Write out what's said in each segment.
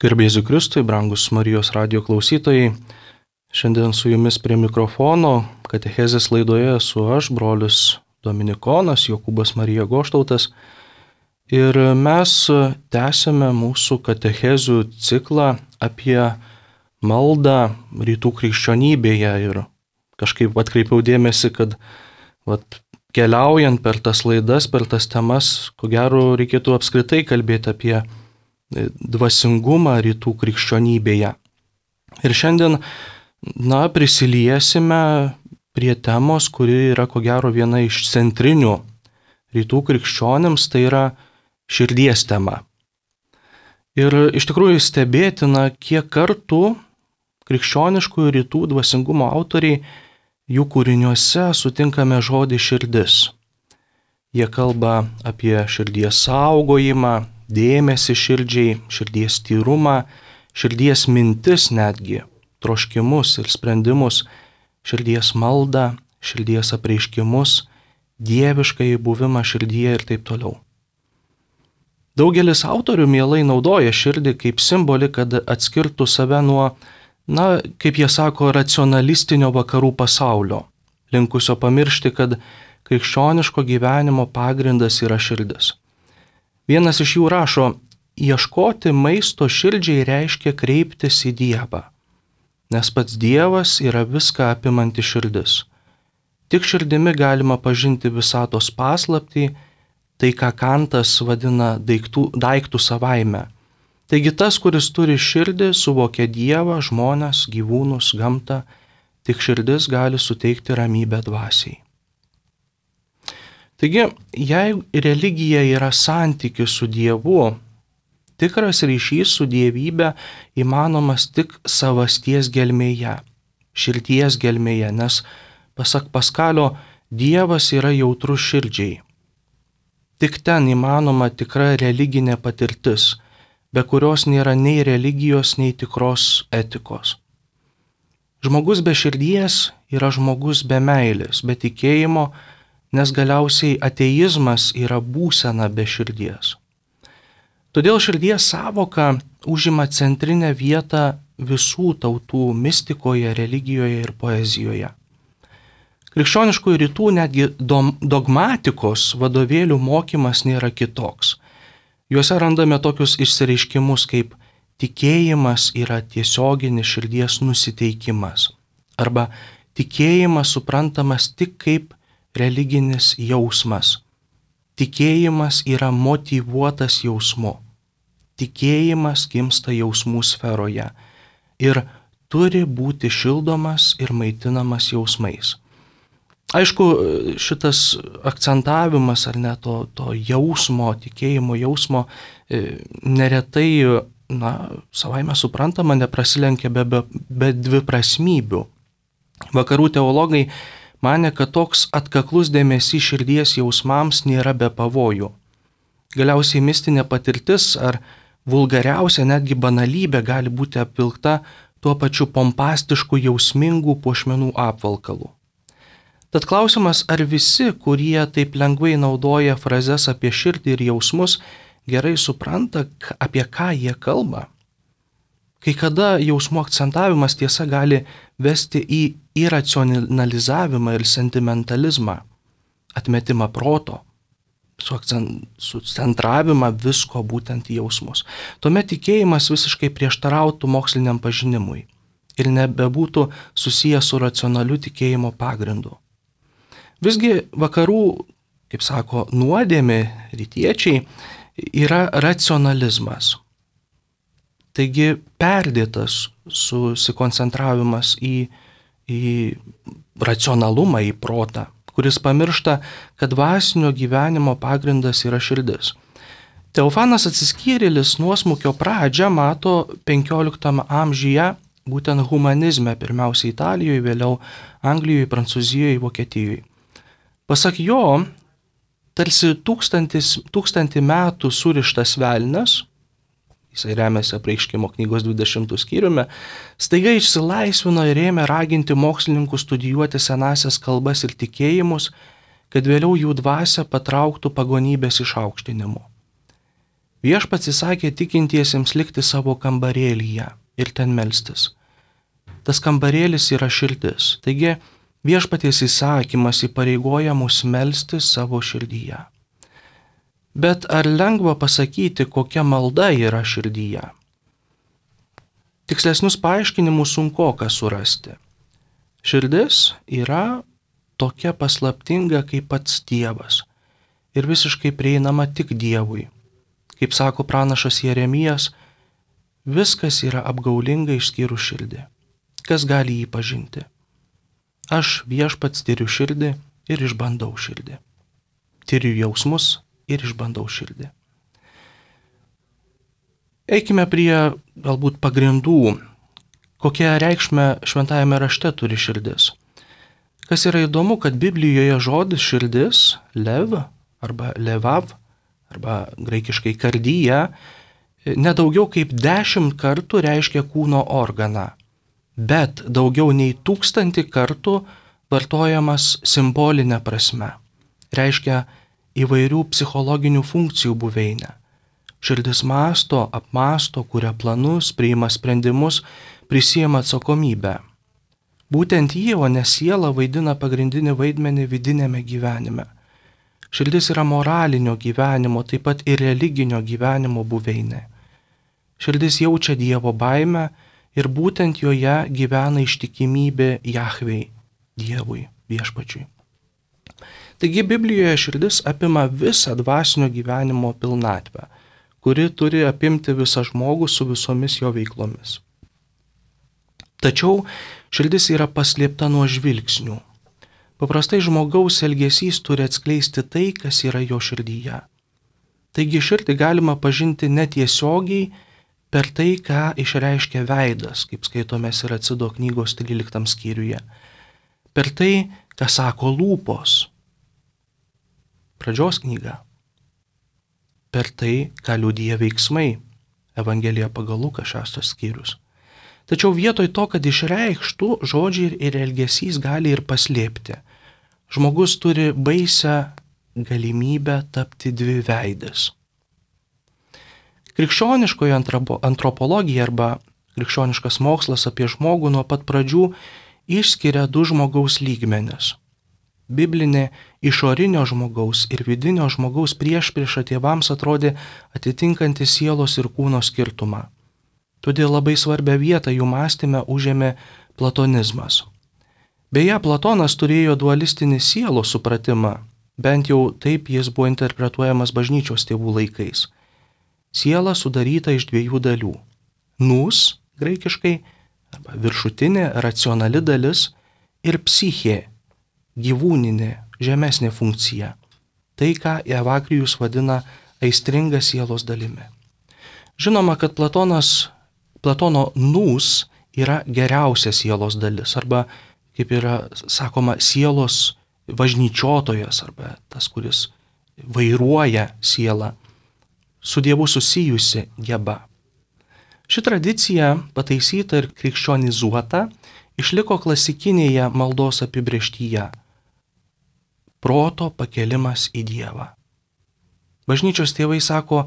Garbėsiu Kristui, brangus Marijos radijo klausytojai. Šiandien su jumis prie mikrofono katechezės laidoje esu aš, brolis Dominikonas Jokūbas Marija Goštautas. Ir mes tęsiame mūsų katechezių ciklą apie maldą rytų krikščionybėje. Ir kažkaip atkreipiau dėmesį, kad keliaujant per tas laidas, per tas temas, ko gero reikėtų apskritai kalbėti apie dvasingumą rytų krikščionybėje. Ir šiandien, prisiliesime prie temos, kuri yra ko gero viena iš centrinių rytų krikščionims, tai yra širdies tema. Ir iš tikrųjų stebėtina, kiek kartų krikščioniškųjų rytų dvasingumo autoriai jų kūriniuose sutinkame žodį širdis. Jie kalba apie širdies saugojimą, dėmesį širdžiai, širdies tyrumą, širdies mintis netgi, troškimus ir sprendimus, širdies maldą, širdies apreiškimus, dieviškąjį buvimą širdyje ir taip toliau. Daugelis autorių mielai naudoja širdį kaip simbolį, kad atskirtų save nuo, kaip jie sako, racionalistinio vakarų pasaulio, linkusio pamiršti, kad krikščioniško gyvenimo pagrindas yra širdis. Vienas iš jų rašo, ieškoti maisto širdžiai reiškia kreiptis į Dievą, nes pats Dievas yra viską apimanti širdis. Tik širdimi galima pažinti visatos paslaptį, tai ką Kantas vadina daiktų savaime. Taigi tas, kuris turi širdį, suvokia Dievą, žmones, gyvūnus, gamtą, tik širdis gali suteikti ramybę dvasiai. Taigi, jei religija yra santykis su Dievu, tikras ryšys su dievybė įmanomas tik savasties gelmėje, širdies gelmėje, nes, pasak Paskalio, Dievas yra jautrus širdžiai. Tik ten įmanoma tikra religinė patirtis, be kurios nėra nei religijos, nei tikros etikos. Žmogus be širdies yra žmogus be meilės, be tikėjimo, nes galiausiai ateizmas yra būsena be širdies. Todėl širdies sąvoka užima centrinę vietą visų tautų mistikoje, religijoje ir poezijoje. Krikščioniškųjų rytų netgi dogmatikos vadovėlių mokymas nėra kitoks. Juose randame tokius išsireiškimus kaip tikėjimas yra tiesioginis širdies nusiteikimas arba tikėjimas suprantamas tik kaip religinis jausmas. Tikėjimas yra motyvuotas jausmu. Tikėjimas gimsta jausmų sferoje ir turi būti šildomas ir maitinamas jausmais. Aišku, šitas akcentavimas ar ne to jausmo, tikėjimo jausmo neretai, savaime suprantama, neprasilenkia be dviprasmybių. Vakarų teologai manė, kad toks atkaklus dėmesys širdies jausmams nėra be pavojų. Galiausiai mistinė patirtis ar vulgariausia netgi banalybė gali būti apvilkta tuo pačiu pompastišku jausmingų puošmenų apvalkalu. Tad klausimas, ar visi, kurie taip lengvai naudoja frazes apie širdį ir jausmus, gerai supranta, apie ką jie kalba? Kai kada jausmų akcentavimas tiesa gali vesti į iracionalizavimą ir sentimentalizmą, atmetimą proto, sucentravimą visko būtent į jausmus. Tuomet tikėjimas visiškai prieštarautų moksliniam pažinimui ir nebebūtų susijęs su racionaliu tikėjimo pagrindu. Visgi vakarų, kaip sako, nuodėmė rytiečiai yra racionalizmas. Taigi perdėtas susikoncentravimas į racionalumą, į protą, kuris pamiršta, kad dvasinio gyvenimo pagrindas yra širdis. Teofanas Atsiskyrėlis nuosmukio pradžią mato 15 amžiuje būtent humanizme, pirmiausia Italijoje, vėliau Anglijoje, Prancūzijoje, Vokietijoje. Pasak jo, tarsi 1000 metų surištas velnias, jisai remiasi Apreiškimo knygos 20 skyriumi, staiga išsilaisvino ir ėmė raginti mokslininkus studijuoti senąsias kalbas ir tikėjimus, kad vėliau jų dvasią patrauktų pagonybės išaukštinimu. Viešpats įsakė tikintiesiems likti savo kambarėlyje ir ten melstis. Tas kambarėlis yra širdis, taigi viešpaties įsakymas įpareigoja mus melstis savo širdyje. Bet ar lengva pasakyti, kokia malda yra širdyje? Tikslesnius paaiškinimus sunkoka surasti. Širdis yra tokia paslaptinga kaip pats Dievas ir visiškai prieinama tik Dievui. Kaip sako pranašas Jeremijas, viskas yra apgaulinga išskyrus širdį. Kas gali jį pažinti? Aš viešpats tiriu širdį ir išbandau širdį. Tiriu jausmus ir išbandau širdį. Eikime prie galbūt pagrindų, kokią reikšmę šventajame rašte turi širdis. Kas yra įdomu, kad Biblijoje žodis širdis, lev arba levav, arba graikiškai kardyja, nedaugiau kaip 10 kartų reiškia kūno organą, bet daugiau nei 1000 kartų vartojamas simbolinė prasme. Reiškia įvairių psichologinių funkcijų buveinę. Širdis mąsto, apmąsto, kuria planus, priima sprendimus, prisiima atsakomybę. Būtent ji, o ne siela, vaidina pagrindinį vaidmenį vidinėme gyvenime. Širdis yra moralinio gyvenimo, taip pat ir religinio gyvenimo buveinė. Širdis jaučia Dievo baimę ir būtent joje gyvena ištikimybė Jahvei, Dievui, viešpačiui. Taigi Biblijoje širdis apima visą dvasinio gyvenimo pilnatvę, kuri turi apimti visą žmogų su visomis jo veiklomis. Tačiau širdis yra paslėpta nuo žvilgsnių. Paprastai žmogaus elgesys turi atskleisti tai, kas yra jo širdyje. Taigi širdį galima pažinti netiesiogiai per tai, ką išreiškia veidas, kaip skaitome Siracido knygos 13 skyriuje. Per tai, ką sako lūpos. Pradžios knyga. Per tai, ką liudija veiksmai. Evangelija pagal Luką 6 skyrius. Tačiau vietoj to, kad išreikštų, žodžiai ir elgesys gali ir paslėpti. Žmogus turi baisią galimybę tapti dviveidis. Krikščioniškoji antropologija arba krikščioniškas mokslas apie žmogų nuo pat pradžių išskiria 2 žmogaus lygmenis. Biblinė išorinio žmogaus ir vidinio žmogaus priešprieša tėvams atrodė atitinkanti sielos ir kūno skirtumą. Todėl labai svarbią vietą jų mąstyme užėmė platonizmas. Beje, Platonas turėjo dualistinį sielos supratimą, bent jau taip jis buvo interpretuojamas bažnyčios tėvų laikais. Siela sudaryta iš 2 dalių. Nous, graikiškai, arba viršutinė, racionali dalis ir psichė, gyvūninė, žemesnė funkcija. Tai, ką Evagrijus vadina aistringa sielos dalimi. Žinoma, kad Platono nous yra geriausia sielos dalis, arba, kaip yra sakoma, sielos važnyčiotojas, arba tas, kuris vairuoja sielą, su Dievu susijusi geba. Ši tradicija, pataisyta ir krikščionizuota, išliko klasikinėje maldos apibrėžtyje – proto pakelimas į Dievą. Bažnyčios tėvai sako,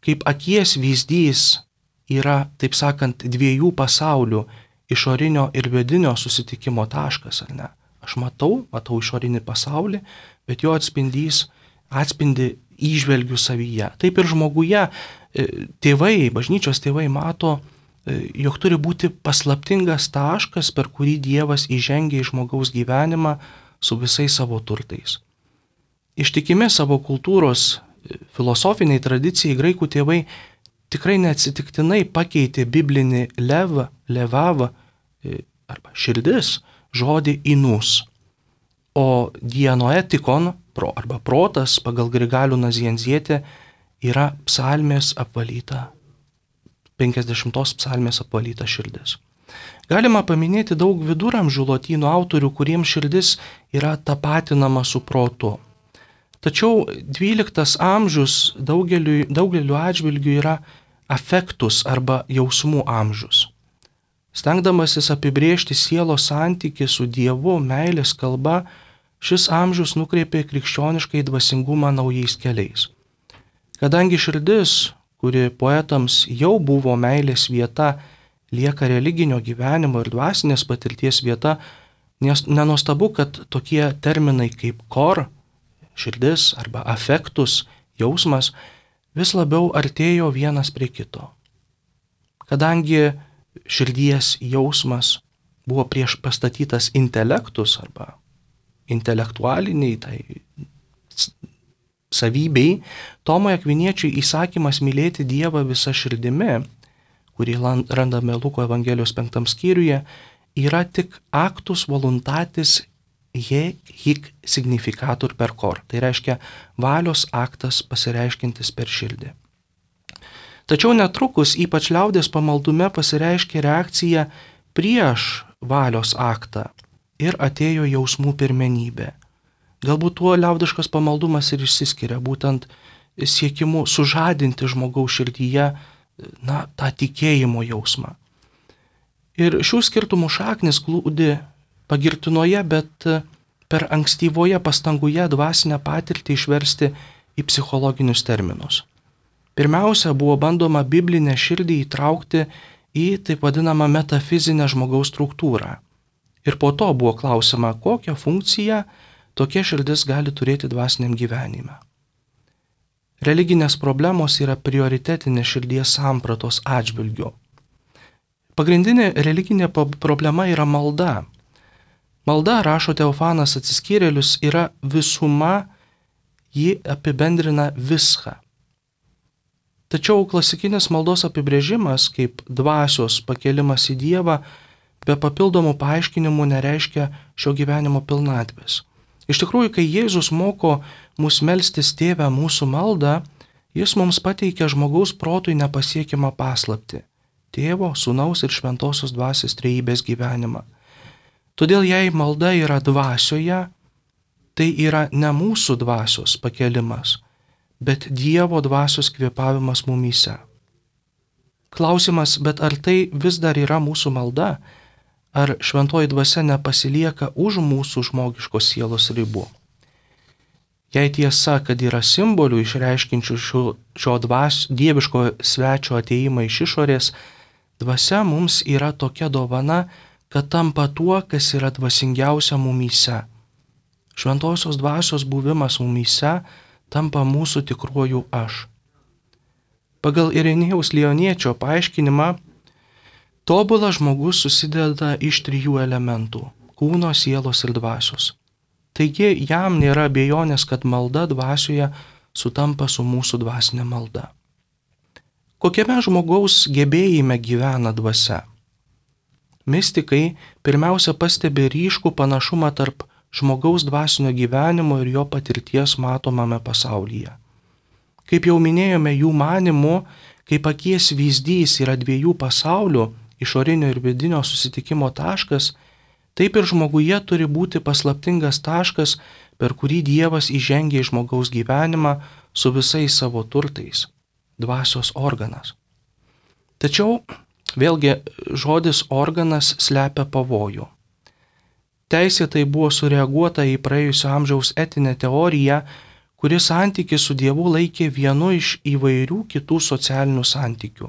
kaip akies vyzdys yra, taip sakant, 2 pasaulių – išorinio ir vidinio susitikimo taškas, ar ne? Aš matau išorinį pasaulį, bet jo atspindi įžvelgiu savyje. Taip ir žmoguje tėvai, bažnyčios tėvai mato, jog turi būti paslaptingas taškas, per kurį Dievas įžengia į žmogaus gyvenimą su visais savo turtais. Ištikimi savo kultūros filosofiniai tradicijai graikų tėvai tikrai neatsitiktinai pakeitė biblinį lev, levav arba širdis žodį inus, o dienoetikon arba protas pagal Grigalių Nazianzietę yra psalmės apvalyta, 50 psalmės apvalyta širdis. Galima paminėti daug viduramžių lotynų autorių, kuriems širdis yra tapatinama su protu. Tačiau 12 amžius daugeliu atžvilgių yra afektus arba jausmų amžius. Stengdamasis apibrėžti sielos santykį su Dievu meilės kalba, šis amžius nukreipė krikščioniškai dvasingumą naujais keliais. Kadangi širdis, kuri poetams jau buvo meilės vieta, lieka religinio gyvenimo ir dvasinės patirties vieta, nes nenuostabu, kad tokie terminai kaip kor, širdis arba afektus, jausmas, vis labiau artėjo vienas prie kito. Kadangi širdies jausmas buvo prieš pastatytas intelektus arba intelektualiniai tai savybei, Tomui Akviniečiui įsakymas mylėti Dievą visą širdimi, kurį randame Luko Evangelijos 5 skyriuje, yra tik actus voluntatis je hic significatur per cor. Tai reiškia valios aktas pasireiškintis per širdį. Tačiau netrukus, ypač liaudės pamaldume, pasireiškė reakcija prieš valios aktą ir atėjo jausmų pirmenybė. Galbūt tuo liaudiškas pamaldumas ir išsiskiria, būtent siekimu sužadinti žmogaus širdyje tą tikėjimo jausmą. Ir šių skirtumų šaknis glūdi pagirtinoje, bet per ankstyvoje pastangoje dvasinę patirtį išversti į psichologinius terminus. Pirmiausia, buvo bandoma biblinę širdį įtraukti į taip vadinamą metafizinę žmogaus struktūrą. Ir po to buvo klausima, kokią funkciją tokia širdis gali turėti dvasiniam gyvenime. Religinės problemos yra prioritetinė širdies sampratos atžvilgiu. Pagrindinė religinė problema yra malda. Malda, rašo Teofanas Atsiskyrėlius, yra visuma, ji apibendrina viską. Tačiau klasikinis maldos apibrėžimas kaip dvasios pakelimas į Dievą be papildomų paaiškinimų nereiškia šio gyvenimo pilnatvės. Iš tikrųjų, kai Jėzus moko mus melstis Tėve mūsų maldą, jis mums pateikia žmogaus protui nepasiekiamą paslaptį – Tėvo, Sūnaus ir Šventosios Dvasios trejybės gyvenimą. Todėl jei malda yra dvasioje, tai yra ne mūsų dvasios pakelimas, bet Dievo dvasios kvėpavimas mumyse. Klausimas, bet ar tai vis dar yra mūsų malda? Ar šventoji dvasia nepasilieka už mūsų žmogiškos sielos ribų? Jei tiesa, kad yra simbolių išreiškinčių šio dieviško svečio ateimą iš išorės, dvasia mums yra tokia dovana, kad tampa tuo, kas yra dvasingiausia mumyse. Šventosios dvasios buvimas mumyse tampa mūsų tikruoju aš. Pagal Ireniejaus Lioniečio paaiškinimą, tobulas žmogus susideda iš 3 elementų – kūno, sielos ir dvasios. Taigi jam nėra abejonės, kad malda dvasioje sutampa su mūsų dvasinė malda. Kokiame žmogaus gebėjime gyvena dvasia? Mistikai pirmiausia pastebi ryškų panašumą tarp žmogaus dvasinio gyvenimo ir jo patirties matomame pasaulyje. Kaip jau minėjome, jų manymu, kaip akies vyzdys yra 2 pasaulių, išorinio ir vidinio susitikimo taškas, taip ir žmoguje turi būti paslaptingas taškas, per kurį Dievas įžengia į žmogaus gyvenimą su visais savo turtais – dvasios organas. Tačiau, vėlgi, žodis organas slepia pavojų. Teisėtai buvo sureaguota į praėjusio amžiaus etinę teoriją, kuri santykį su Dievu laikė vienu iš įvairių kitų socialinių santykių.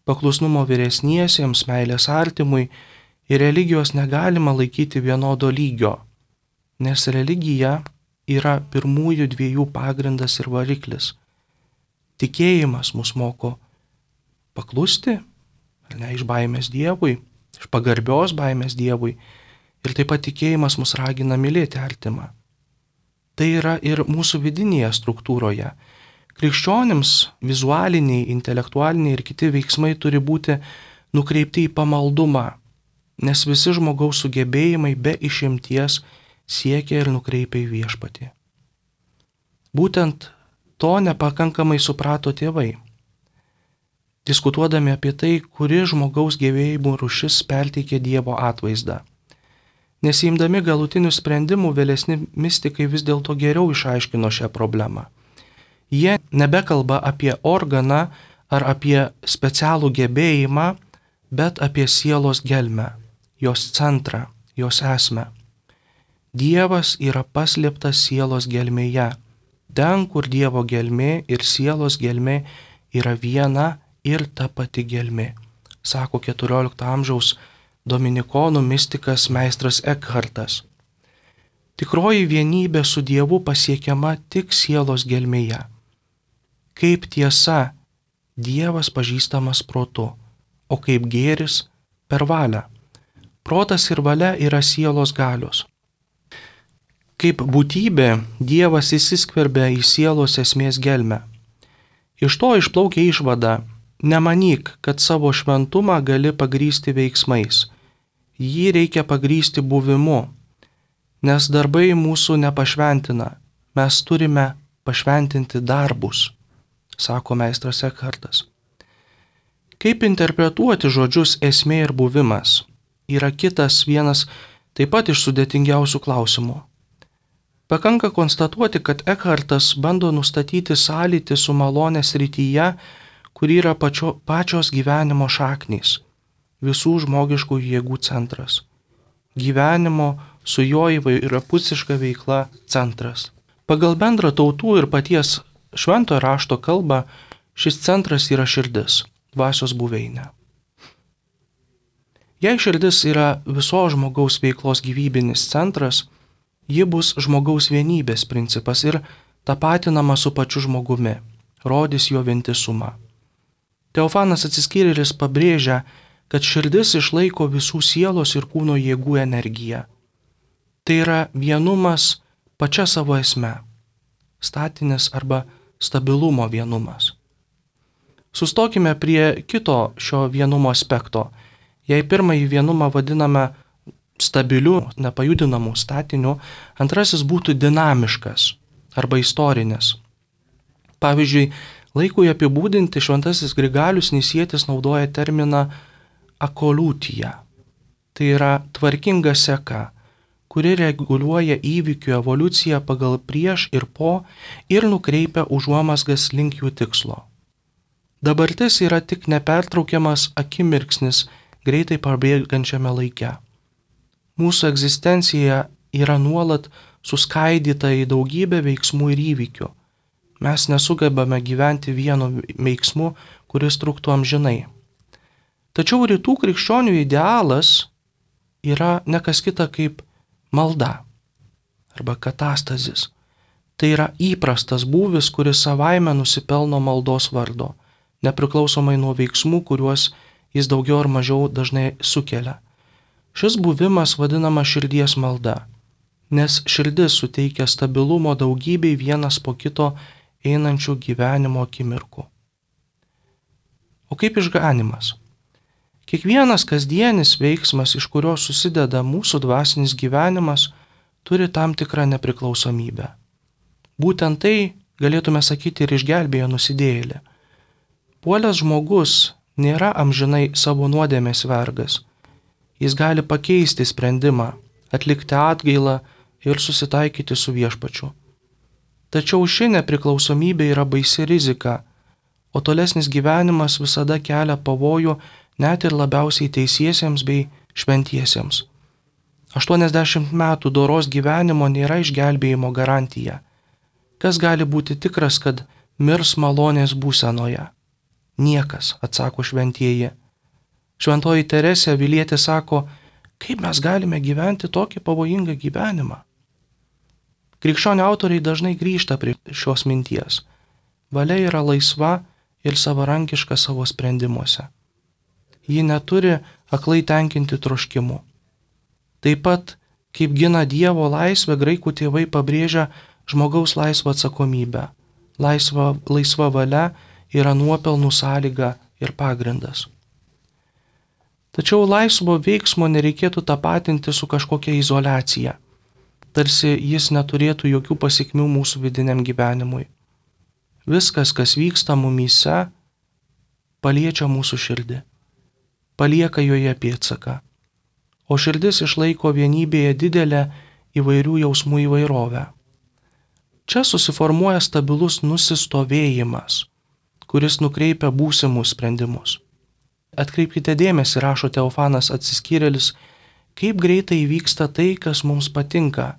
Paklusnumo vyresniesiems, meilės artimui ir religijos negalima laikyti vienodo lygio, nes religija yra pirmųjų 2 pagrindas ir variklis. Tikėjimas mus moko paklusti, ne iš baimės Dievui, iš pagarbios baimės Dievui, ir taip pat tikėjimas mus ragina mylėti artimą. Tai yra ir mūsų vidinėje struktūroje. Krikščionims vizualiniai, intelektualiniai ir kiti veiksmai turi būti nukreipti į pamaldumą, nes visi žmogaus sugebėjimai be išimties siekia ir nukreipia į viešpatį. Būtent to nepakankamai suprato tėvai. Diskutuodami apie tai, kuri žmogaus gebėjimų rūšis perteikė Dievo atvaizdą. Nesiimdami galutinių sprendimų, vėlesni mistikai vis dėlto geriau išaiškino šią problemą. Jie nebekalba apie organą ar apie specialų gebėjimą, bet apie sielos gelmę, jos centrą, jos esmę. Dievas yra paslėptas sielos gelmėje, ten, kur Dievo gelmė ir sielos gelmė yra viena ir ta pati gelmė, sako 14 amžiaus dominikonų mistikas meistras Ekhartas. Tikroji vienybė su Dievu pasiekiama tik sielos gelmėje. Kaip tiesa, Dievas pažįstamas protu, o kaip gėris per valią. Protas ir valia yra sielos galios. Kaip būtybė, Dievas įsiskverbia į sielos esmės gelmę. Iš to išplaukia išvada: nemanyk, kad savo šventumą gali pagrįsti veiksmais. Jį reikia pagrįsti buvimu, nes darbai mūsų nepašventina, mes turime pašventinti darbus, sako meistras Ekhartas. Kaip interpretuoti žodžius esmė ir buvimas yra kitas vienas taip pat iš sudėtingiausių klausimų. Pakanka konstatuoti, kad Ekhartas bando nustatyti sąlytį su malonės srityje, kur yra pačios gyvenimo šaknys, visų žmogiškų jėgų centras, gyvenimo su jo įvairiapusiška veikla centras. Pagal bendrą tautų ir paties šventojo rašto kalbą šis centras yra širdis, dvasios buveinė. Jei širdis yra visos žmogaus veiklos gyvybinis centras, ji bus žmogaus vienybės principas ir tapatinama su pačiu žmogumi, rodys jo vientisumą. Teofanas Atsiskyrėlis pabrėžia, kad širdis išlaiko visų sielos ir kūno jėgų energiją. Tai yra vienumas pačia savo esme, statinis arba stabilumo vienumas. Sustokime prie kito šio vienumo aspekto. Jei pirmąjį vienumą vadiname stabiliu, nepajudinamu statiniu, antrasis būtų dinamiškas arba istorinis. Pavyzdžiui, laikui apibūdinti šventasis Grigalius Nisietis naudoja terminą akoliutija. Tai yra tvarkinga seka, kuri reguliuoja įvykių evoliuciją pagal prieš ir po ir nukreipia užuomazgas link jų tikslo. Dabartis yra tik nepertraukiamas akimirksnis greitai pabėgančiame laike. Mūsų egzistencija yra nuolat suskaidyta į daugybę veiksmų ir įvykių. Mes nesugebame gyventi vienu veiksmu, kuris truktų amžinai. Tačiau rytų krikščionių idealas yra ne kas kita kaip malda arba katastazis. Tai yra įprastas būvis, kuris savaime nusipelno maldos vardo, nepriklausomai nuo veiksmų, kuriuos jis daugiau ar mažiau dažnai sukelia. Šis buvimas vadinama širdies malda, nes širdis suteikia stabilumo daugybei vienas po kito einančių gyvenimo akimirkų. O kaip išganymas? Kiekvienas kasdienis veiksmas, iš kurio susideda mūsų dvasinis gyvenimas, turi tam tikrą nepriklausomybę. Būtent tai, galėtume sakyti, ir išgelbėjo nusidėjėlį. Puolęs žmogus nėra amžinai savo nuodėmės vergas. Jis gali pakeisti sprendimą, atlikti atgailą ir susitaikyti su viešpačiu. Tačiau ši nepriklausomybė yra baisi rizika, o tolesnis gyvenimas visada kelia pavojų net ir labiausiai teisiesiems bei šventiesiems. 80 metų doros gyvenimo nėra išgelbėjimo garantija. Kas gali būti tikras, kad mirs malonės būsenoje? Niekas, atsako šventieji. Šventoji Teresė Avilietė sako, kaip mes galime gyventi tokį pavojingą gyvenimą? Krikščionių autoriai dažnai grįžta prie šios minties. Valia yra laisva ir savarankiška savo sprendimuose. Ji neturi aklai tenkinti troškimų. Taip pat, kaip gina Dievo laisvę, graikų tėvai pabrėžia žmogaus laisvą atsakomybę. Laisva valia yra nuopelnų sąlyga ir pagrindas. Tačiau laisvo veiksmo nereikėtų tapatinti su kažkokia izoliacija, tarsi jis neturėtų jokių pasekmių mūsų vidiniam gyvenimui. Viskas, kas vyksta mumyse, paliečia mūsų širdį, palieka joje pėdsaką, o širdis išlaiko vienybėje didelę įvairių jausmų įvairovę. Čia susiformuoja stabilus nusistovėjimas, kuris nukreipia būsimus sprendimus. Atkreipkite dėmesį, rašo Teofanas Atsiskyrėlis, kaip greitai įvyksta tai, kas mums patinka,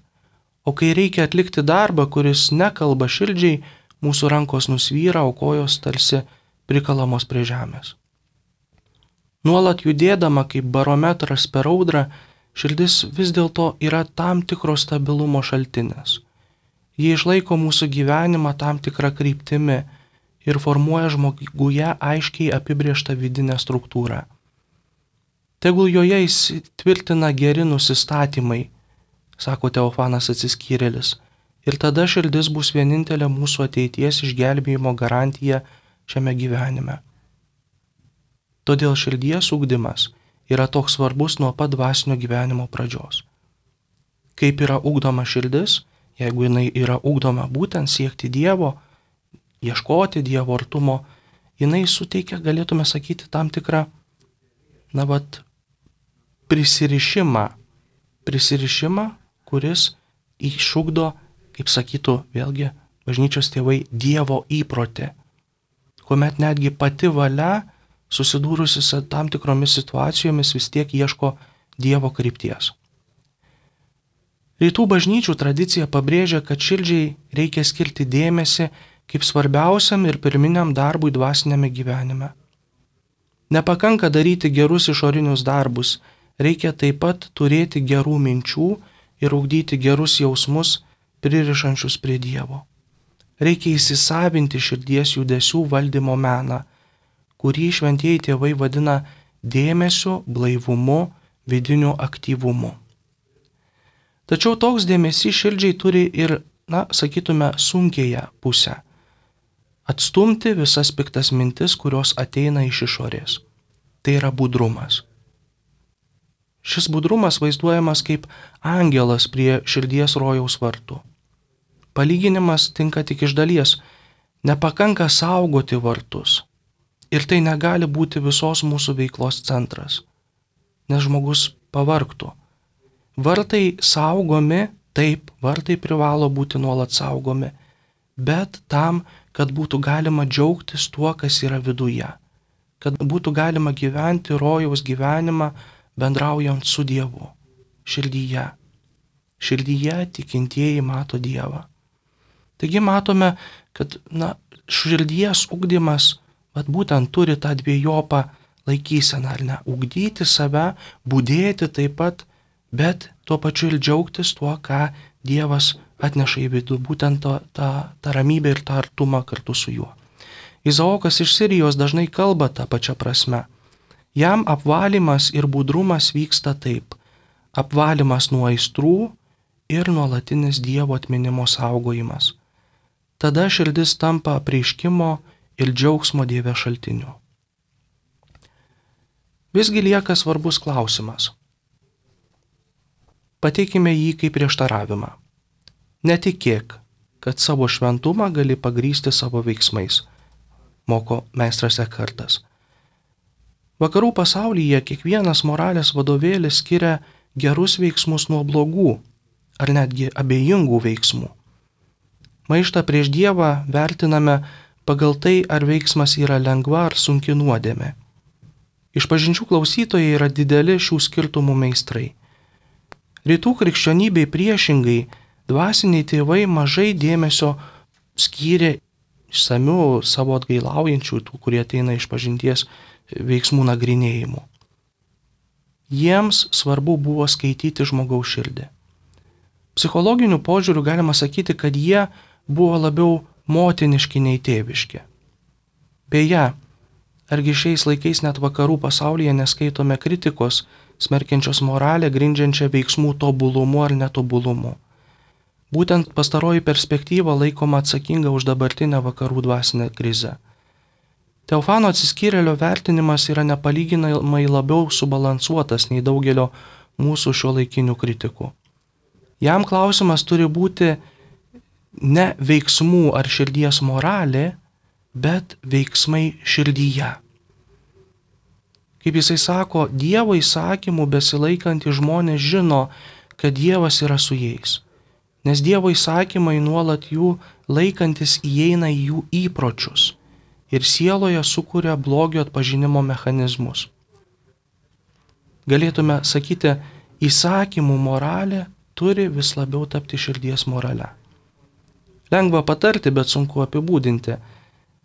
o kai reikia atlikti darbą, kuris nekalba širdžiai, mūsų rankos nusvyra, o kojos tarsi prikalamos prie žemės. Nuolat judėdama kaip barometras per audrą, širdis vis dėlto yra tam tikro stabilumo šaltinis. Ji išlaiko mūsų gyvenimą tam tikrą kryptimi ir formuoja žmoguje aiškiai apibrėžtą vidinę struktūrą. Tegul joje įsitvirtina geri nusistatymai, sako Teofanas Atsiskyrėlis, ir tada širdis bus vienintelė mūsų ateities išgelbėjimo garantija šiame gyvenime. Todėl širdies ugdymas yra toks svarbus nuo pat dvasinio gyvenimo pradžios. Kaip yra ugdoma širdis, jeigu jinai yra ugdoma būtent siekti Dievo, ieškoti Dievo artumo, jinai suteikia, galėtume sakyti, tam tikrą, prisirišimą, kuris išugdo, kaip sakytų vėlgi bažnyčios tėvai, Dievo įprotį, kuomet netgi pati valia, susidūrusi su tam tikromis situacijomis, vis tiek ieško Dievo krypties. Rytų bažnyčių tradicija pabrėžia, kad širdžiai reikia skirti dėmesį kaip svarbiausiam ir pirminiam darbui dvasinėme gyvenime. Nepakanka daryti gerus išorinius darbus, reikia taip pat turėti gerų minčių ir ugdyti gerus jausmus, pririšančius prie Dievo. Reikia įsisavinti širdies judesių valdymo meną, kurį šventieji tėvai vadina dėmesiu, blaivumu, vidiniu aktyvumu. Tačiau toks dėmesys širdžiai turi ir, sakytume, sunkėją pusę. Atstumti visas piktas mintis, kurios ateina iš išorės. Tai yra budrumas. Šis budrumas vaizduojamas kaip angelas prie širdies rojaus vartų. Palyginimas tinka tik iš dalies. Nepakanka saugoti vartus. Ir tai negali būti visos mūsų veiklos centras, nes žmogus pavargtų. Vartai saugomi, taip, vartai privalo būti nuolat saugomi, bet tam, kad būtų galima džiaugtis tuo, kas yra viduje, kad būtų galima gyventi rojaus gyvenimą bendraujant su Dievu, širdyje. Širdyje tikintieji mato Dievą. Taigi matome, kad širdies ugdymas būtent turi tą dviejopą laikyseną, ar ne? Ugdyti save, budėti taip pat, bet tuo pačiu ir džiaugtis tuo, ką Dievas atneša į vidų, būtent tą ramybę ir tą artumą kartu su juo. Izaokas iš Sirijos dažnai kalba tą pačią prasme. Jam apvalymas ir budrumas vyksta taip. Apvalymas nuo aistrų ir nuolatinis Dievo atminimo saugojimas. Tada širdis tampa apreiškimo ir džiaugsmo Dieve šaltiniu. Visgi lieka svarbus klausimas. Pateikime jį kaip prieštaravimą. Netikėk, kad savo šventumą gali pagrįsti savo veiksmais, moko meistras Ekhartas. Vakarų pasaulyje kiekvienas moralės vadovėlis skiria gerus veiksmus nuo blogų, ar netgi abejingų veiksmų. Maištą prieš Dievą vertiname pagal tai, ar veiksmas yra lengva ar sunki nuodėmė. Išpažinčių klausytojai yra dideli šių skirtumų meistrai. Rytų krikščionybei priešingai, dvasiniai tėvai mažai dėmesio skyrė išsamių savo atgailaujančių, tų, kurie ateina išpažinties veiksmų nagrinėjimų. Jiems svarbu buvo skaityti žmogaus širdį. Psichologiniu požiūriu galima sakyti, kad jie buvo labiau motiniški nei tėviški. Beje, argi šiais laikais net vakarų pasaulyje neskaitome kritikos, smerkiančios moralę, grindžiančią veiksmų tobulumu ar netobulumu. Būtent pastaroji perspektyva laikoma atsakinga už dabartinę vakarų dvasinę krizę. Teofano Atsiskyrėlio vertinimas yra nepalyginamai labiau subalansuotas nei daugelio mūsų šiuolaikinių kritikų. Jam klausimas turi būti ne veiksmų ar širdies moralė, bet veiksmai širdyje. Kaip jisai sako, Dievo įsakymų besilaikantys žmonės žino, kad Dievas yra su jais, nes Dievo įsakymai nuolat jų laikantis įeina į jų įpročius ir sieloje sukuria blogio atpažinimo mechanizmus. Galėtume sakyti, įsakymų moralė turi vis labiau tapti širdies morale. Lengva patarti, bet sunku apibūdinti.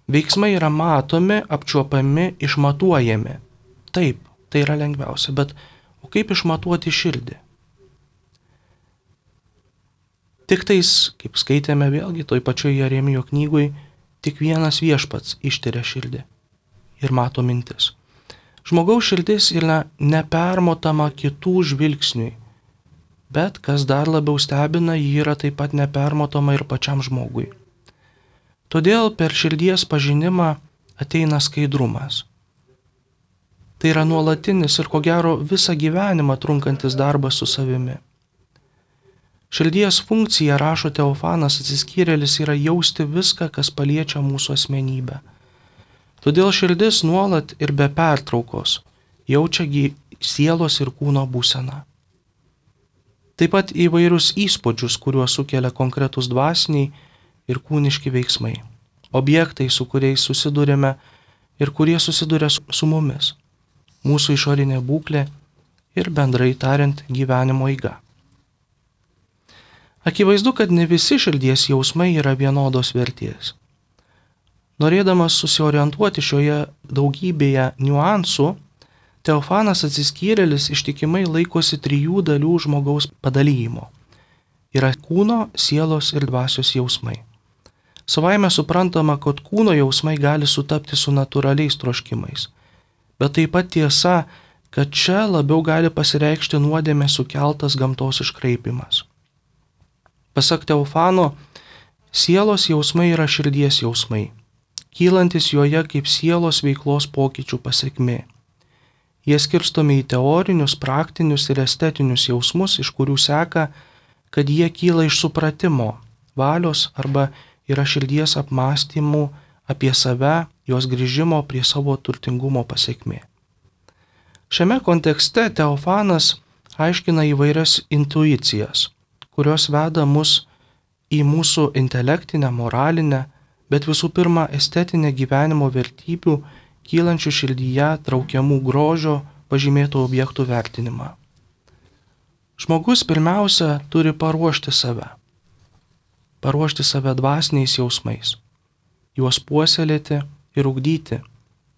Veiksmai yra matomi, apčiuopami, išmatuojami. Taip, tai yra lengviausia, bet o kaip išmatuoti širdį? Tik tais, kaip skaitėme vėlgi toj pačioje Jeremijo knygoj, tik vienas Viešpats ištiria širdį ir mato mintis. Žmogaus širdis yra nepermotama kitų žvilgsniui, bet kas dar labiau stebina, ji yra taip pat nepermotama ir pačiam žmogui. Todėl per širdies pažinimą ateina skaidrumas. Tai yra nuolatinis ir ko gero visą gyvenimą trunkantis darbas su savimi. Širdies funkcija, rašo Teofanas Atsiskyrėlis, yra jausti viską, kas paliečia mūsų asmenybę. Todėl širdis nuolat ir be pertraukos jaučia sielos ir kūno būseną. Taip pat įvairius įspūdžius, kuriuos sukelia konkretus dvasiniai ir kūniški veiksmai, objektai, su kuriais susidurėme ir kurie susiduria su mumis, mūsų išorinė būklė ir bendrai tariant gyvenimo eiga. Akivaizdu, kad ne visi širdies jausmai yra vienodos vertės. Norėdamas susiorientuoti šioje daugybėje niuansų, Teofanas Atsiskyrėlis ištikimai laikosi 3 dalių žmogaus padalijimo. Yra kūno, sielos ir dvasios jausmai. Savaime suprantama, kad kūno jausmai gali sutapti su natūraliais troškimais, bet taip pat tiesa, kad čia labiau gali pasireikšti nuodėmė sukeltas gamtos iškraipimas. Pasak Teofano, sielos jausmai yra širdies jausmai, kylantis joje kaip sielos veiklos pokyčių pasekmė. Jie skirstomi į teorinius, praktinius ir estetinius jausmus, iš kurių seka, kad jie kyla iš supratimo, valios arba yra širdies apmąstymų apie save, jos grįžimo prie savo turtingumo pasekmė. Šiame kontekste Teofanas aiškina įvairias intuicijas, kurios veda mus į mūsų intelektinę, moralinę, bet visų pirma estetinę gyvenimo vertybių, kylančių širdyje traukiamų grožio pažymėtų objektų vertinimą. Žmogus pirmiausia turi paruošti save dvasiniais jausmais, juos puoselėti ir ugdyti,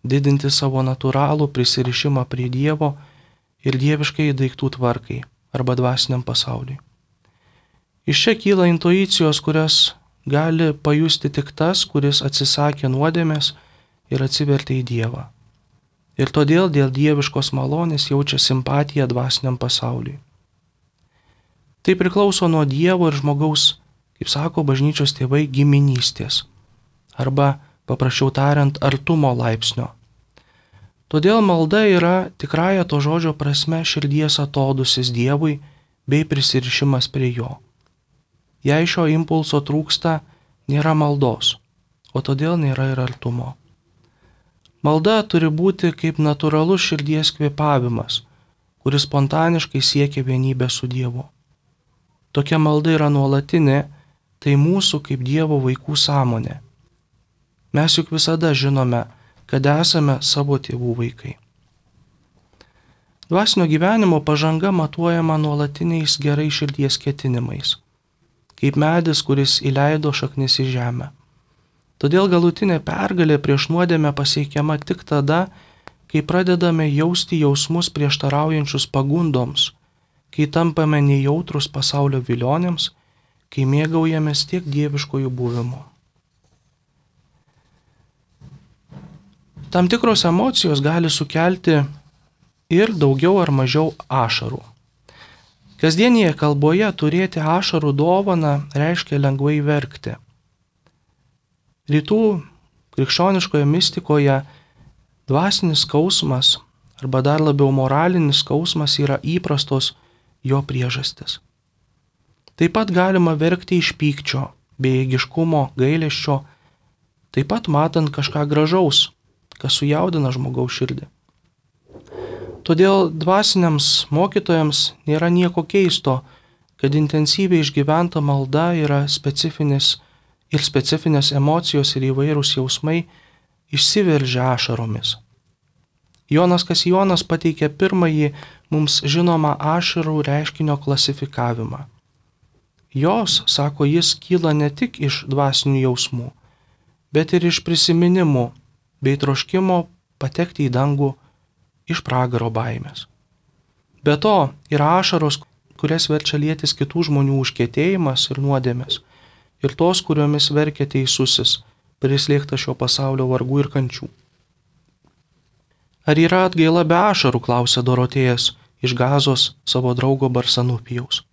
didinti savo natūralų prisirišimą prie Dievo ir dieviškai daiktų tvarkai arba dvasiniam pasauliui. Iš čia kyla intuicijos, kurias gali pajusti tik tas, kuris atsisakė nuodėmės ir atsivertė į Dievą. Ir todėl dėl dieviškos malonės jaučia simpatiją dvasiniam pasauliui. Tai priklauso nuo Dievo ir žmogaus, kaip sako bažnyčios tėvai, giminystės, arba, paprasčiau tariant, artumo laipsnio. Todėl malda yra tikrąja to žodžio prasme širdies atodusis Dievui bei prisirišimas prie Jo. Jei šio impulso trūksta, nėra maldos, o todėl nėra ir artumo. Malda turi būti kaip natūralus širdies kvėpavimas, kuris spontaniškai siekia vienybę su Dievu. Tokia malda yra nuolatinė, tai mūsų kaip Dievo vaikų sąmonė. Mes juk visada žinome, kad esame savo tėvų vaikai. Dvasinio gyvenimo pažanga matuojama nuolatiniais gerai širdies ketinimais, kaip medis, kuris įleido šaknis į žemę. Todėl galutinė pergalė prieš nuodėmę pasiekiama tik tada, kai pradedame jausti jausmus prieštaraujančius pagundoms, kai tampame nejautrus pasaulio vilionėms, kai mėgaujamės tiek dieviškojų buvimu. Tam tikros emocijos gali sukelti ir daugiau ar mažiau ašarų. Kasdienėje kalboje turėti ašarų dovaną reiškia lengvai verkti. Rytų krikščioniškoje mistikoje dvasinis skausmas arba dar labiau moralinis skausmas yra įprastos jo priežastis. Taip pat galima verkti iš pykčio, bejėgiškumo, gailesčio, taip pat matant kažką gražaus, kas sujaudina žmogaus širdį. Todėl dvasiniams mokytojams nėra nieko keisto, kad intensyviai išgyventa malda yra specifinės emocijos ir įvairūs jausmai išsiveržia ašaromis. Jonas Kasijonas pateikė pirmąjį mums žinomą ašarų reiškinio klasifikavimą. Jos, sako jis, kyla ne tik iš dvasinių jausmų, bet ir iš prisiminimų bei troškimo patekti į dangų iš pragaro baimės. Be to yra ašaros, kurias verčia lietis kitų žmonių užkietėjimas ir nuodėmės, ir tos, kuriomis verkia teisusis, prislėgtas šio pasaulio vargų ir kančių. Ar yra atgaila be ašarų, klausė Dorotėjas iš Gazos savo draugo Barsanupijaus.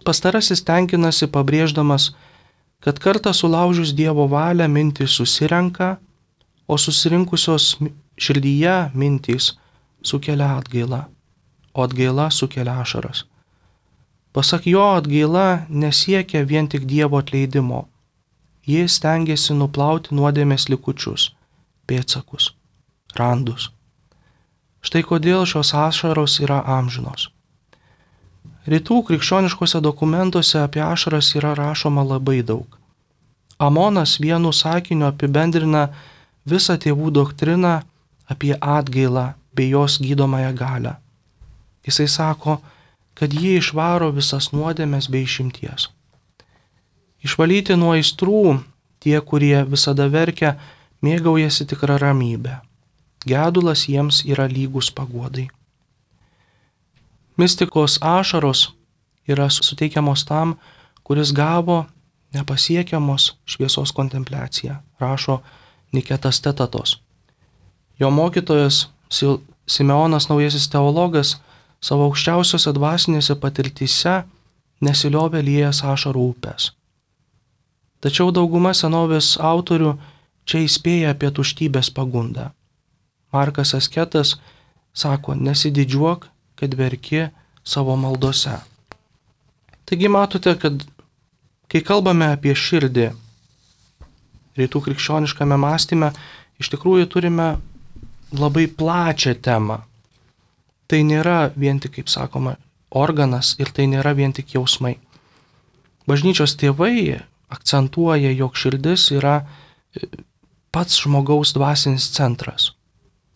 Pastarasis tenkinasi pabrėždamas, kad kartą sulaužius Dievo valią mintys susirenka, o susirinkusios širdyje mintys sukelia atgailą, o atgaila sukelia ašaras. Pasak jo, atgaila nesiekia vien tik Dievo atleidimo. Jis stengiasi nuplauti nuodėmės likučius, pėdsakus, randus. Štai kodėl šios ašaros yra amžinos. Rytų krikščioniškose dokumentuose apie ašaras yra rašoma labai daug. Amonas vienu sakiniu apibendrina visą tėvų doktriną apie atgailą bei jos gydomąją galią. Jisai sako, kad ji išvaro visas nuodėmes bei išimties. Išvalyti nuo aistrų tie, kurie visada verkia, mėgaujasi tikrą ramybę. Gedulas jiems yra lygus paguodai. Mistikos ašaros yra suteikiamos tam, kuris gavo nepasiekiamos šviesos kontempliaciją, rašo Niketas Tetatos. Jo mokytojas Simeonas Naujasis teologas savo aukščiausiose dvasinėse patirtyse nesiliovė liejęs ašarų upės. Tačiau dauguma senovės autorių čia įspėja apie tuštybės pagundą. Markas Asketas sako, nesididžiuok, kad verki savo maldose. Taigi matote, kad kai kalbame apie širdį, rytų krikščioniškame mąstyme, iš tikrųjų turime labai plačią temą. Tai nėra vien tik, kaip sakoma, organas ir tai nėra vien tik jausmai. Bažnyčios tėvai akcentuoja, jog širdis yra pats žmogaus dvasinis centras.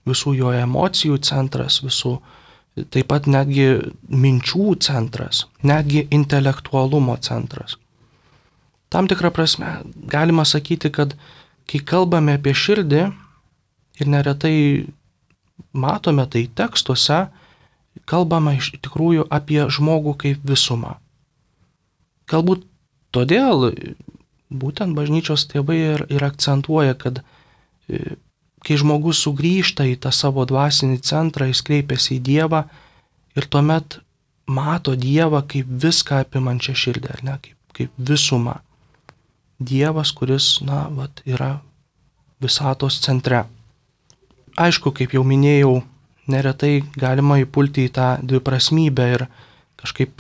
Visų jo emocijų centras, visų taip pat netgi minčių centras, netgi intelektualumo centras. Tam tikrą prasme galima sakyti, kad kai kalbame apie širdį ir neretai matome tai tekstuose, kalbama iš tikrųjų apie žmogų kaip visumą. Galbūt todėl būtent bažnyčios tėvai ir akcentuoja, kad kai žmogus sugrįžta į tą savo dvasinį centrą, jis kreipiasi į Dievą ir tuomet mato Dievą kaip viską apimančią širdį, ar ne, kaip visumą. Dievas, kuris, yra visatos centre. Aišku, kaip jau minėjau, neretai galima įpulti į tą dviprasmybę ir kažkaip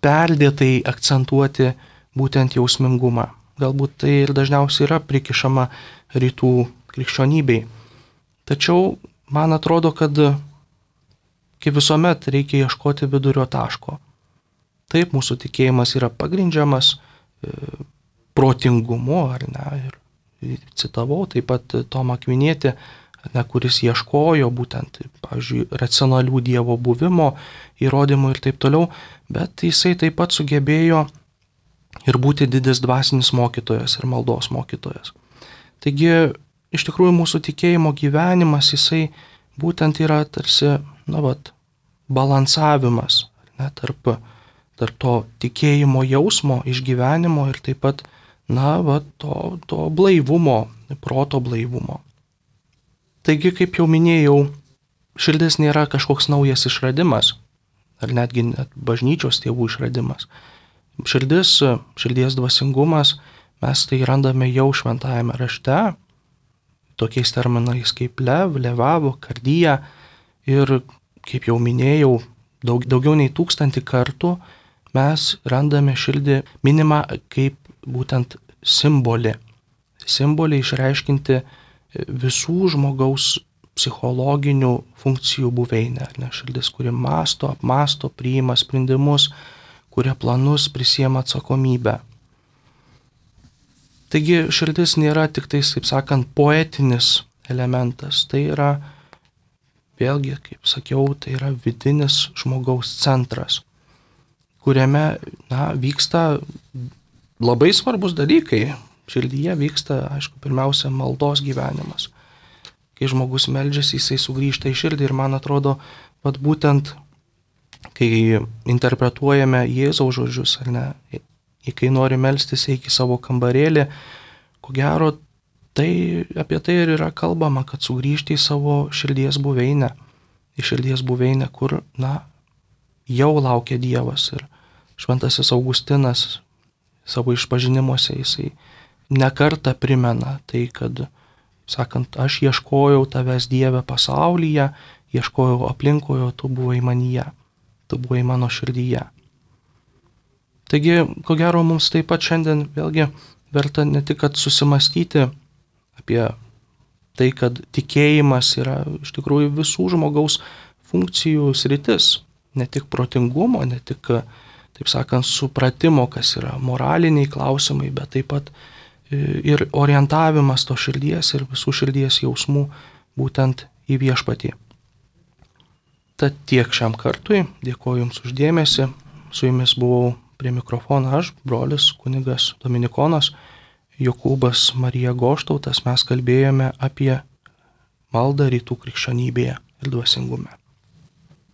perdėtai akcentuoti būtent jausmingumą. Galbūt tai ir dažniausiai yra prikišama rytų krikščionybei. Tačiau man atrodo, kad kaip visuomet reikia ieškoti vidurio taško. Taip, mūsų tikėjimas yra pagrindžiamas protingumu, ar ne, ir citavau taip pat Tomą Akvinietį, kuris ieškojo būtent, pavyzdžiui, racionalių Dievo buvimo įrodymų ir taip toliau, bet jisai taip pat sugebėjo ir būti didis dvasinis mokytojas ir maldos mokytojas. Taigi, iš tikrųjų, mūsų tikėjimo gyvenimas, jisai būtent yra tarsi, balansavimas, ne, tarp to tikėjimo jausmo, išgyvenimo ir taip pat, to blaivumo, proto blaivumo. Taigi, kaip jau minėjau, širdis nėra kažkoks naujas išradimas, ar netgi bažnyčios tėvų išradimas. Širdies dvasingumas, mes tai randame jau šventajame rašte, tokiais terminais kaip lev, levavo, kardija, ir, kaip jau minėjau, daugiau nei 1000 kartų mes randame širdį minimą kaip būtent simbolį. Simbolį išreiškinti visų žmogaus psichologinių funkcijų buveinę. Širdis, kuri mąsto, apmąsto, priima sprendimus, kuria planus, prisiema atsakomybę. Taigi širdis nėra tik tais, kaip sakant, poetinis elementas. Tai yra, vėlgi, kaip sakiau, tai yra vidinis žmogaus centras, kuriame vyksta labai svarbus dalykai. širdyje vyksta, aišku, pirmiausia maldos gyvenimas. Kai žmogus meldžiasi, jisai sugrįžta į širdį ir man atrodo, vat būtent, kai interpretuojame Jėzaus žodžius, ar ne, kai nori melstis, eik į savo kambarėlį, ko gero, apie tai ir yra kalbama, kad sugrįžti į savo širdies buveinę, kur, jau laukia Dievas. Ir šventasis Augustinas savo išpažinimuose jisai nekartą primena tai, kad, sakant, aš ieškojau tavęs Dieve pasaulyje, ieškojau aplinkoje, tu buvai manyje, tu buvai mano širdyje. Taigi, ko gero, mums taip pat šiandien vėlgi verta ne tik kad susimastyti apie tai, kad tikėjimas yra iš tikrųjų visų žmogaus funkcijų sritis, ne tik protingumo, ne tik, taip sakant, supratimo, kas yra moraliniai klausimai, bet taip pat ir orientavimas to širdies ir visų širdies jausmų būtent į viešpatį. Tad tiek šiam kartui, dėkoju Jums už dėmesį, su Jumis buvau prie mikrofono aš, brolis kunigas Dominikonas Jokūbas Marija Goštautas. Mes kalbėjome apie maldą rytų krikščionybėje ir dvasingume.